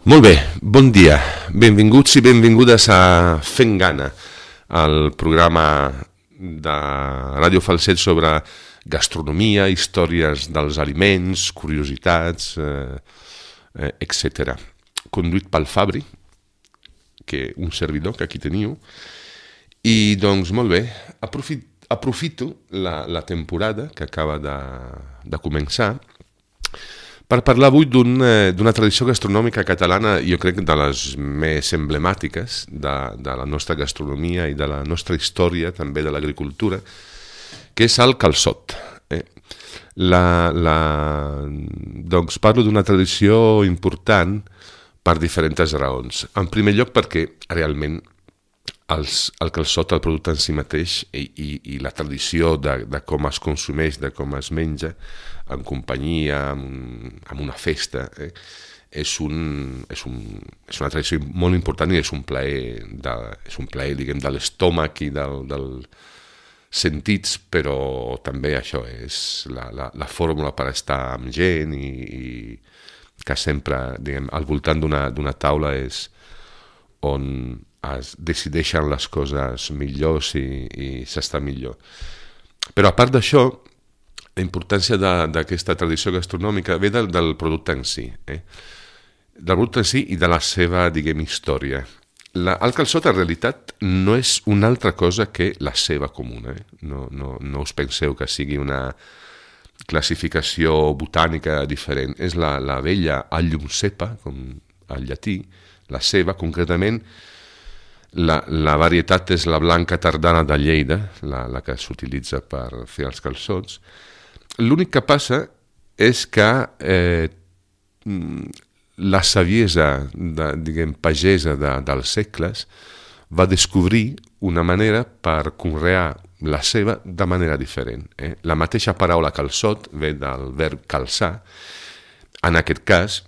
Molt bé, bon dia. Benvinguts i benvingudes a Fent Gana, el programa de Ràdio Falset sobre gastronomia, històries dels aliments, curiositats, etc. Conduït pel Fabri, que un servidor que aquí teniu. I doncs molt bé, aprofito la temporada que acaba de començar per parlar avui d'una tradició gastronòmica catalana, jo crec de les més emblemàtiques de la nostra gastronomia i de la nostra història, també de l'agricultura, que és el calçot. Doncs parlo d'una tradició important per diferents raons. En primer lloc perquè realment el calçot, el producte en si mateix i la tradició de com es consumeix, de com es menja en companyia, en una festa, és una tradició molt important i és un plaer diguem, de l'estómac i dels sentits, però també això és la fórmula per estar amb gent i que sempre, diguem, al voltant d'una taula és on es decideixen les coses millors i s'està millor. Però a part d'això, la importància d'aquesta tradició gastronòmica ve del producte en si, del producte en si i de la seva, diguem, història. El calçot, en realitat, no és una altra cosa que la ceba comuna. No us penseu que sigui una classificació botànica diferent. És la vella Allium cepa, com al llatí, la ceba, concretament. La varietat és la blanca tardana de Lleida, la que s'utilitza per fer els calçots. L'únic que passa és que la saviesa, diguem, pagesa dels segles va descobrir una manera per conrear la ceba de manera diferent. La mateixa paraula calçot ve del verb calçar. En aquest cas,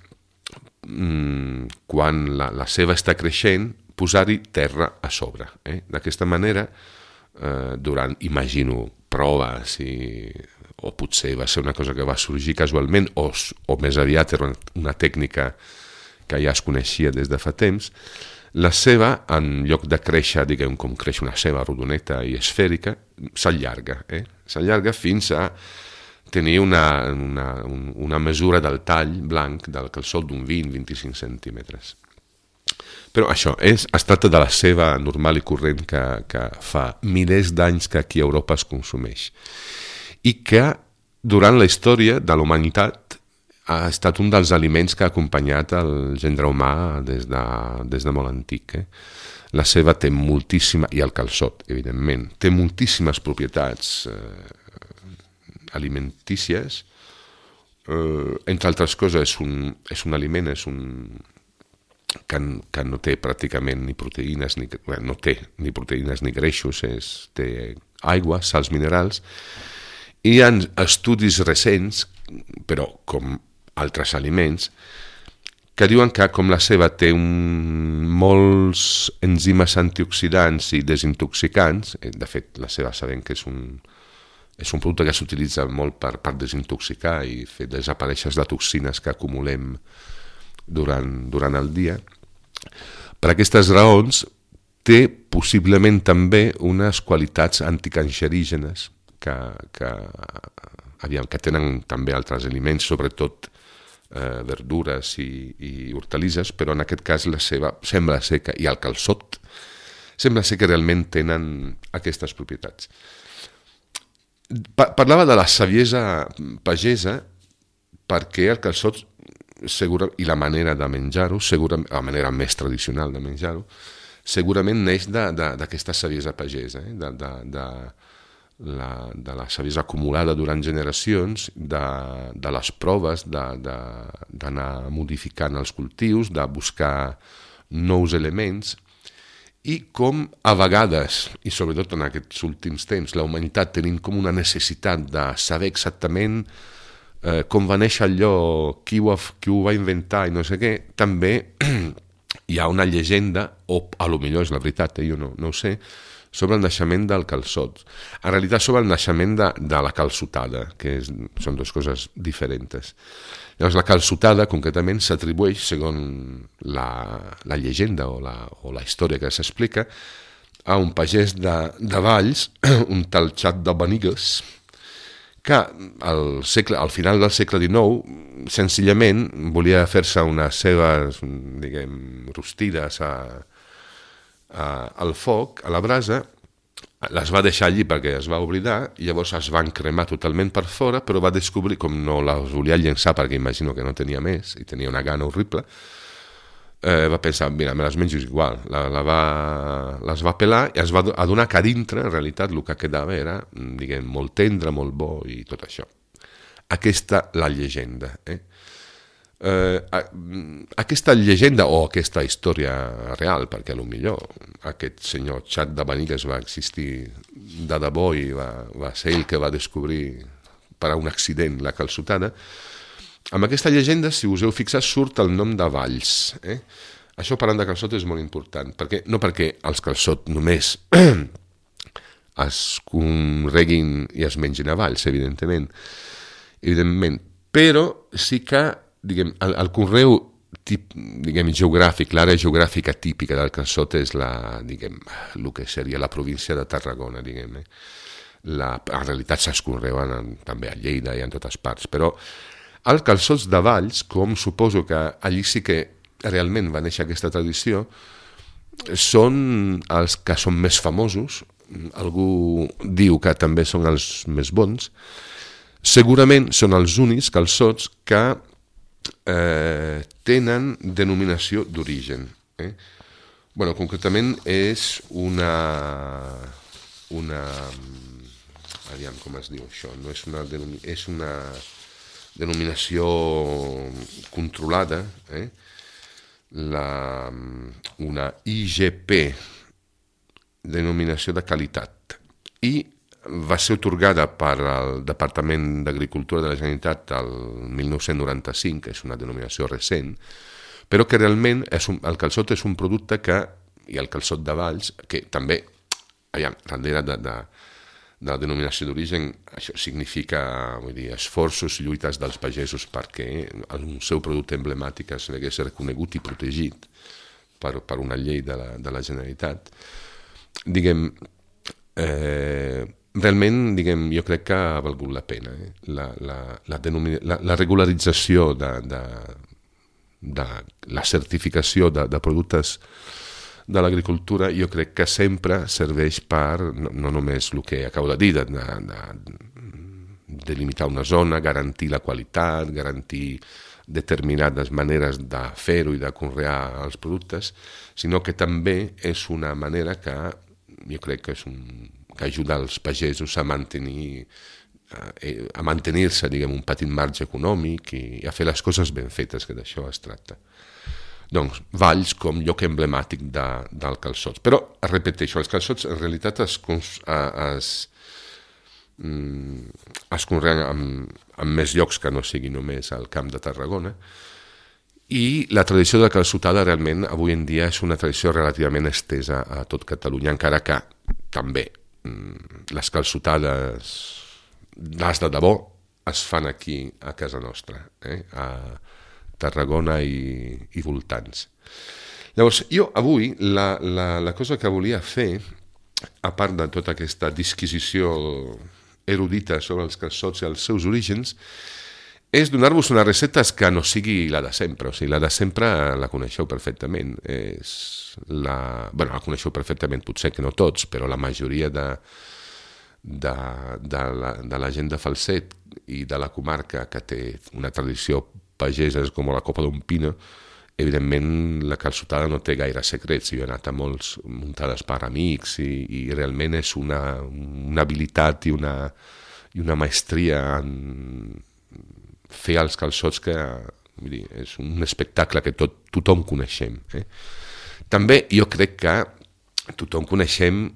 quan la ceba està creixent, posar-hi terra a sobre. D'aquesta manera, imagino, proves o potser va ser una cosa que va sorgir casualment o més aviat era una tècnica que ja es coneixia des de fa temps. La ceba, en lloc de créixer, diguem, com creix una ceba rodoneta i esfèrica, s'allarga. S'allarga fins a tenir una mesura del tall blanc del calçot d'un 20-25 centímetres. Però això, es tracta de la ceba normal i corrent que fa milers d'anys que aquí a Europa es consumeix i que durant la història de la humanitat ha estat un dels aliments que ha acompanyat el gènere humà des de molt antic. La ceba té moltíssima, i el calçot, evidentment, té moltíssimes propietats alimentícies. Entre altres coses, és un aliment, que no té pràcticament ni proteïnes, no té ni proteïnes ni greixos, té aigua, sals minerals, i hi ha estudis recents, però com altres aliments, que diuen que com la ceba té molts enzimes antioxidants i desintoxicants, de fet la ceba sabem que és un producte que s'utilitza molt per desintoxicar i fer desaparèixer les toxines que acumulem durant el dia. Per aquestes raons té possiblement també unes qualitats anticancerígenes que tenen també altres aliments, sobretot verdures i hortalisses, però en aquest cas la ceba sembla ser que, i el calçot sembla ser que realment tenen aquestes propietats. Parlava de la saviesa pagesa perquè el calçot i la manera de menjar-ho, la manera més tradicional de menjar-ho, segurament neix d'aquesta saviesa pagesa, de la saviesa acumulada durant generacions, de les proves, d'anar modificant els cultius, de buscar nous elements, i com a vegades, i sobretot en aquests últims temps, la humanitat tenim com una necessitat de saber exactament com va néixer allò, qui ho va inventar i no sé què, també hi ha una llegenda, o a lo millor és la veritat, jo no ho sé, sobre el naixement del calçot. En realitat, sobre el naixement de la calçotada, que són dues coses diferents. Llavors, la calçotada, concretament, s'atribueix, segons la llegenda o la història que s'explica, a un pagès de Valls, un tal Xat de Benigues, que al final del segle XIX senzillament volia fer-se unes seves, rostides al foc, a la brasa, les va deixar allí perquè es va oblidar, i llavors es van cremar totalment per fora, però va descobrir, com no les volia llençar perquè imagino que no tenia més i tenia una gana horrible, va pensar, mira, me les menjo igual, les va pelar i es va adonar que a dintre, en realitat, el que quedava era, molt tendre, molt bo i tot això. Aquesta la llegenda. Aquesta llegenda o aquesta història real, perquè potser aquest senyor Xat de Benigues va existir de debò i va ser ell que va descobrir per a un accident la calçotada. Amb aquesta llegenda, si us heu fixat, surt el nom de Valls. Això, parlant de calçot, és molt important, no perquè els calçot només es conreguin i es mengin a Valls, evidentment, però sí que el conreu geogràfic, l'àrea geogràfica típica del calçot és el que seria la província de Tarragona, en realitat es conreuen també a Lleida i en totes parts, però els calçots de Valls, com suposo que allí sí que realment va néixer aquesta tradició, són els que són més famosos, algú diu que també són els més bons, segurament són els únics calçots que tenen denominació d'origen. Concretament és una aviam com es diu això, no és una denominació controlada, una IGP, denominació de qualitat, i va ser atorgada per al Departament d'Agricultura de la Generalitat el 1995, que és una denominació recent, però que realment el calçot és un producte i el calçot de Valls, que també, darrere de la denominació d'origen, això significa esforços i lluites dels pagesos perquè el seu producte emblemàtic es vegués reconegut i protegit per una llei de la Generalitat. Realment, jo crec que ha valgut la pena. La regularització de la certificació de productes de l'agricultura jo crec que sempre serveix per, no només el que acabo de dir, de limitar una zona, garantir la qualitat, garantir determinades maneres de fer-ho i de conrear els productes, sinó que també és una manera que jo crec que ajuda els pagesos a mantenir-se, un petit marge econòmic i a fer les coses ben fetes, que d'això es tracta. Doncs Valls com lloc emblemàtic del calçots. Però, repeteixo, els calçots en realitat es conreen en més llocs que no sigui només al Camp de Tarragona, i la tradició de la calçotada realment avui en dia és una tradició relativament estesa a tot Catalunya, encara que també les calçotades, les de debò, es fan aquí a casa nostra, a Tarragona i voltants. Llavors, jo avui la cosa que volia fer, a part de tota aquesta disquisició erudita sobre els calçots i els seus orígens, és donar-vos unes receptes que no sigui la de sempre. O sigui, la de sempre la coneixeu perfectament. La coneixeu perfectament, potser que no tots, però la majoria de la gent de Falset i de la comarca que té una tradició pagesa com la Copa d'un Pino, evidentment la calçotada no té gaire secrets. Jo he anat a molts muntades per amics i realment és una habilitat i una maestria en fer els calçots que és un espectacle que tothom coneixem. També jo crec que tothom coneixem,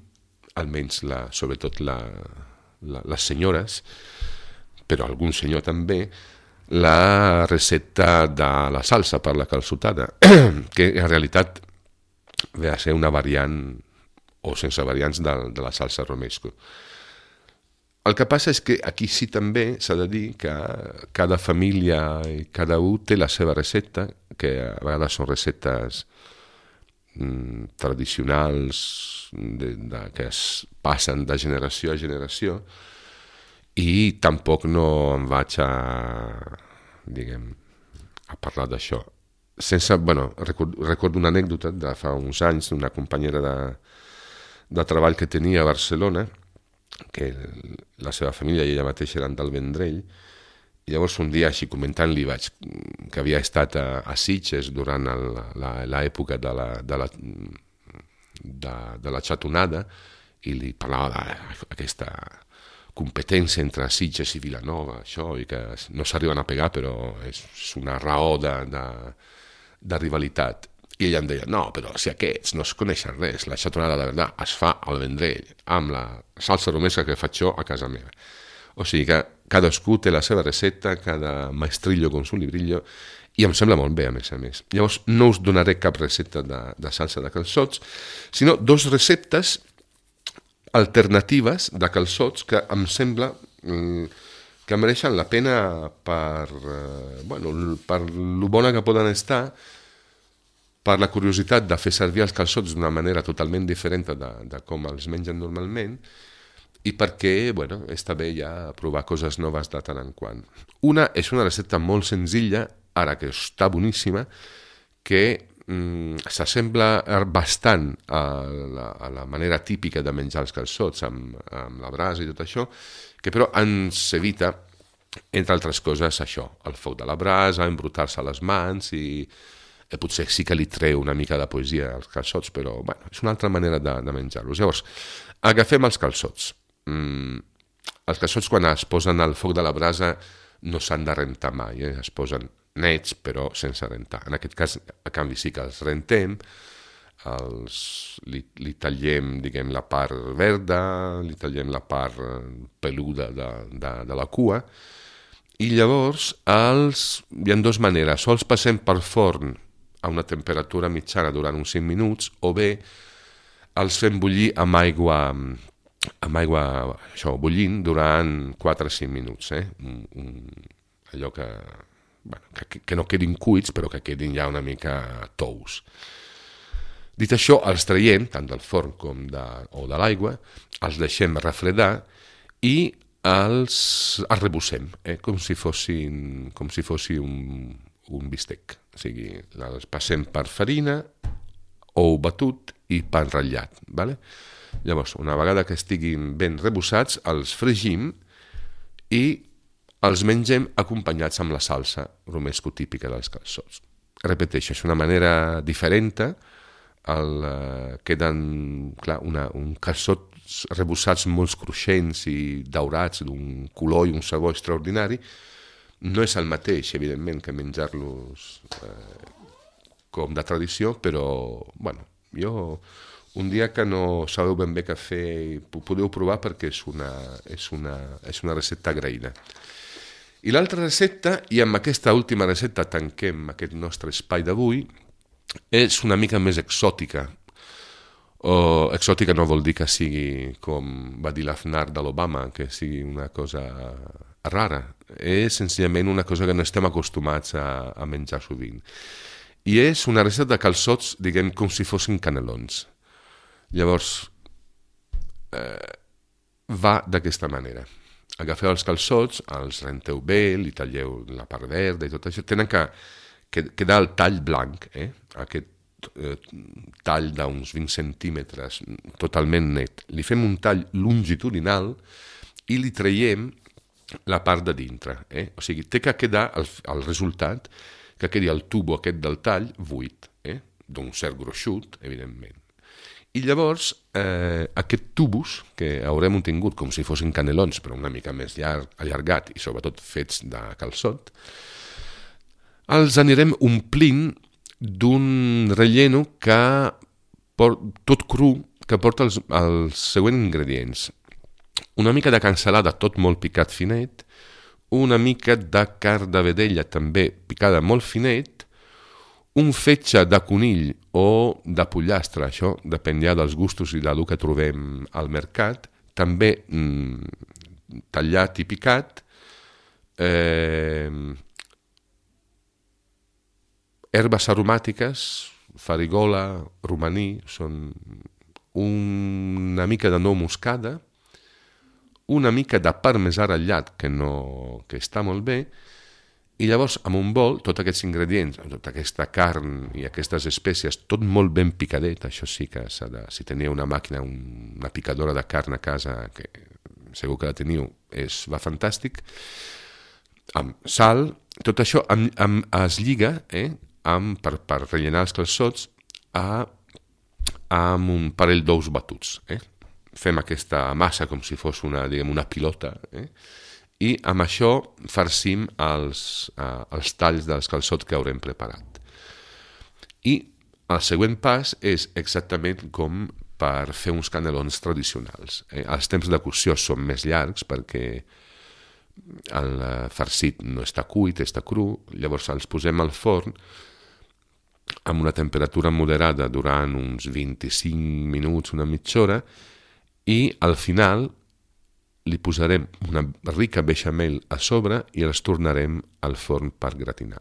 almenys sobretot les senyores, però algun senyor també, la recepta de la salsa per la calçotada, que en realitat ve a ser una variant o sense variants de la salsa romesco. El que passa és que aquí sí també s'ha de dir que cada família i cada un té la seva recepta, que a vegades són receptes tradicionals que es passen de generació a generació, i tampoc no em vaig a parlar d'això. Recordo una anècdota de fa uns anys d'una companyera de treball que tenia a Barcelona, que la seva família i ella mateixa eren del Vendrell, i llavors un dia així comentant-li que havia estat a Sitges durant l'època de la xatonada, i li parlava d'aquesta competència entre Sitges i Vilanova, això, i que no s'arriben a pegar, però és una raó de rivalitat. I ella em deia, no, però si aquests no es coneixen res, la xatonada de veritat es fa al Vendrell, amb la salsa romesca que faig jo a casa meva. O sigui que cadascú té la seva recepta, cada maestrillo con su librillo, i em sembla molt bé, a més a més. Llavors, no us donaré cap recepta de salsa de calçots, sinó 2 receptes alternatives de calçots que em sembla que mereixen la pena per lo bona que poden estar, per la curiositat de fer servir els calçots d'una manera totalment diferent de com els mengen normalment, i perquè està bé ja provar coses noves de tant en quant. Una és una recepta molt senzilla, ara que està boníssima, que s'assembla bastant a la manera típica de menjar els calçots amb la brasa i tot això, que però ens evita, entre altres coses, això, el foc de la brasa, embrutar-se les mans, i potser sí que li treu una mica de poesia als calçots, però és una altra manera de menjar-los. Llavors, agafem els calçots. Els calçots, quan es posen al foc de la brasa, no s'han de rentar mai, es posen nets però sense rentar. En aquest cas, a canvi, sí que els rentem, li tallem, la part verda, li tallem la part peluda de la cua, i llavors hi ha 2 maneres: o els passem per forn a una temperatura mitjana durant uns 5 minuts, o bé els fem bullir amb aigua bullint durant 4 o 5 minuts, allò que no quedin cuits, però que quedin ja una mica tous. Dit això, els traiem tant del forn com o de l'aigua, els deixem refredar i els arrebossem, com si fossi un bistec. O sigui, els passem per farina, ou batut i pa ratllat. Llavors, una vegada que estiguin ben rebossats, els fregim i els mengem acompanyats amb la salsa romesco típica dels calçots. Repeteixo, és una manera diferent, queden, clar, un calçots rebossats molt cruixents i daurats, d'un color i un sabor extraordinari. No és el mateix, evidentment, que menjar-los com de tradició, però, jo un dia que no sabeu ben bé què fer, podeu provar, perquè és una recepta agraïda. I l'altra recepta, i amb aquesta última recepta tanquem aquest nostre espai d'avui, és una mica més exòtica. Exòtica no vol dir que sigui, com va dir l'Aznar de l'Obama, que sigui una cosa rara. És senzillament una cosa que no estem acostumats a menjar sovint. I és una recepta de calçots, com si fossin canelons. Llavors, va d'aquesta manera. Agafeu els calçots, els renteu bé, li talleu la part verda i tot això. Tenen que quedar el tall blanc, aquest tall d'uns 20 centímetres, totalment net. Li fem un tall longitudinal i li traiem la part de dintre. O sigui, té que quedar el resultat, que quedi el tubo aquest del tall buit, d'un cert gruixut, evidentment. I llavors, aquest tubus, que haurem obtingut com si fossin canelons, però una mica més allargat i sobretot fets de calçot, els anirem omplint d'un relleno tot cru, que porta els següents ingredients: una mica de cansalada, tot molt picat finet, una mica de carn de vedella també picada molt finet, Un fetge de conill o de pollastre, això depèn ja dels gustos i del que trobem al mercat, també tallat i picat, herbes aromàtiques, farigola, romaní, són una mica de nou moscada, una mica de parmesà ratllat, que està molt bé, i llavors amb un bol tots aquests ingredients, tota aquesta carn i aquestes espècies, tot molt ben picadet, això sí que si teniu una màquina, una picadora de carn a casa, que segur que la teniu, va fantàstic, amb sal, tot això es lliga per rellenar els calçots amb un parell d'ous batuts. Fem aquesta massa com si fos una pilota, i amb això farcim els talls dels calçots que haurem preparat. I el següent pas és exactament com per fer uns canelons tradicionals. Els temps de cocció són més llargs perquè el farcit no està cuit, està cru, llavors els posem al forn amb una temperatura moderada durant uns 25 minuts, una mitja hora, i al final li posarem una rica beixamel a sobre i els tornarem al forn per gratinar.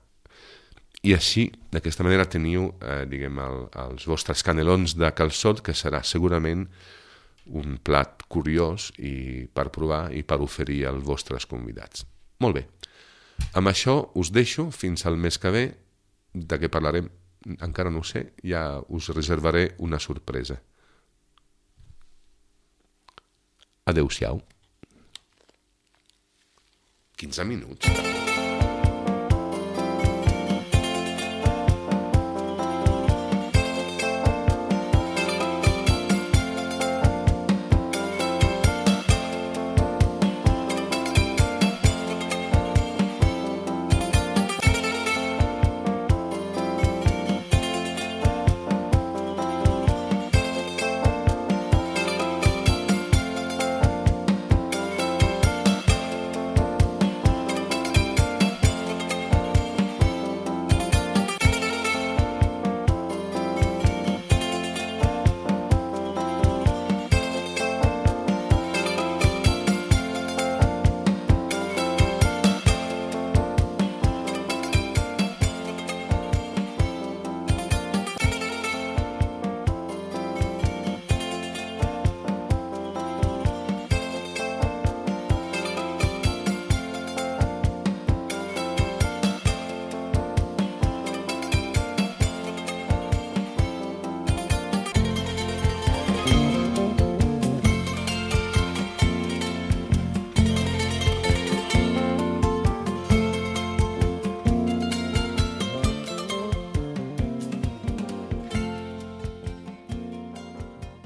I així, d'aquesta manera, teniu els vostres canelons de calçot, que serà segurament un plat curiós i per provar i per oferir als vostres convidats. Molt bé. Amb això us deixo fins al mes que ve. De què parlarem? Encara no ho sé, ja us reservaré una sorpresa. Adéu-siau. 15 minuts.